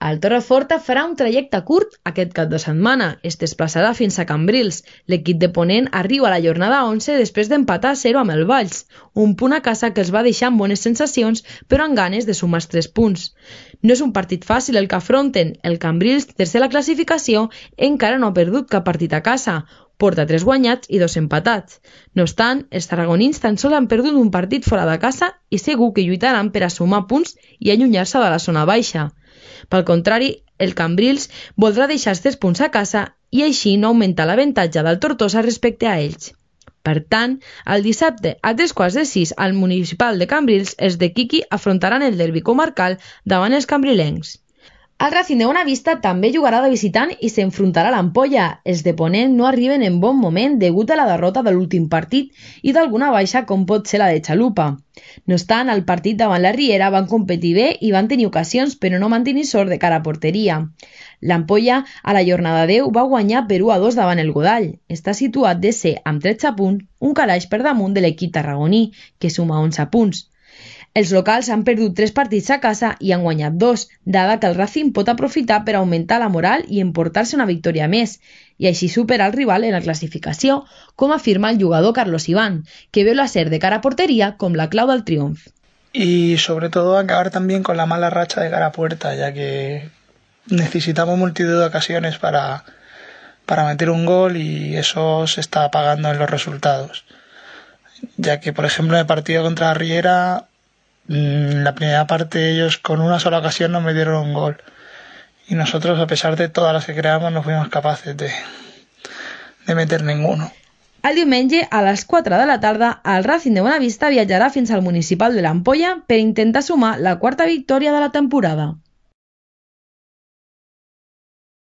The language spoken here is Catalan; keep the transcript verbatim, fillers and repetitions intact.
El Torreforta farà un trajecte curt aquest cap de setmana. Es desplaçarà fins a Cambrils. L'equip de Ponent arriba a la jornada onze després d'empatar a zero amb el Valls, un punt a casa que els va deixar amb bones sensacions però amb ganes de sumar els tres punts. No és un partit fàcil el que afronten. El Cambrils, tercer a la classificació, encara no ha perdut cap partit a casa. Porta tres guanyats i dos empatats. No obstant, els tarragonins tan sols han perdut un partit fora de casa i segur que lluitaran per a sumar punts i allunyar-se de la zona baixa. Pel contrari, el Cambrils voldrà deixar els tres punts a casa i així no augmentar l'avantatge del Tortosa respecte a ells. Per tant, el dissabte a tres quarts de sis al municipal de Cambrils, els de Quiqui afrontaran el derbi comarcal davant els cambrilencs. El Racing de Bonavista també jugarà de visitant i s'enfrontarà a l'Ampolla. Els de Ponent no arriben en bon moment degut a la derrota de l'últim partit i d'alguna baixa com pot ser la de Xalupa. No obstant, al partit davant la Riera van competir bé i van tenir ocasions però no van tenir sort de cara a porteria. L'Ampolla a la jornada deu va guanyar per u a dos davant el Godall. Està situat de ser amb tretze punts, un calaix per damunt de l'equip tarragoní, que suma onze punts. Els locals han perdut tres partits a casa i han guanyat dos, dada que el Racing pot aprofitar per augmentar la moral i emportar-se una victòria més, i així superar el rival en la classificació, com afirma el jugador Carlos Iván, que veu l'acer de cara a portería com la clau del triunf. Y sobre todo acabar también con la mala racha de cara a puerta, ya que necesitamos multitud de ocasiones para, para meter un gol y eso se está apagando en los resultados. Ya que, por ejemplo, en el partido contra Riera, en la primera parte ellos con una sola ocasión nos metieron un gol y nosotros, a pesar de todas las que creamos, no fuimos capaces de, de meter ninguno. El diumenge, a les quatre de la tarda, el Racing de Bonavista viatjarà fins al municipal de l'Ampolla per intentar sumar la quarta victòria de la temporada.